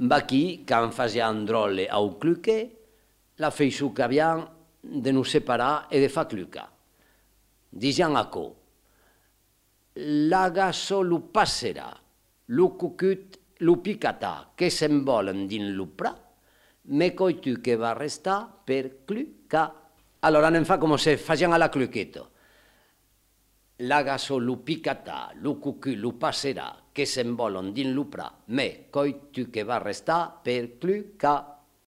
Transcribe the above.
va qui, quan fasia un drole au cluque, la feiçu qu'avian de nos separar e de fa cluca. Disian aquò, l'aga solo passera, lo cucut, lo picatà, che se'n volen din lo pra, me coi tu che va restà per cluca. Allora anem fa come se facian a la cluqueto. L'aga solo picatà, lo cucut, lo passerà, che se'n volen din lo pra, me coi tu che va restà per cluca.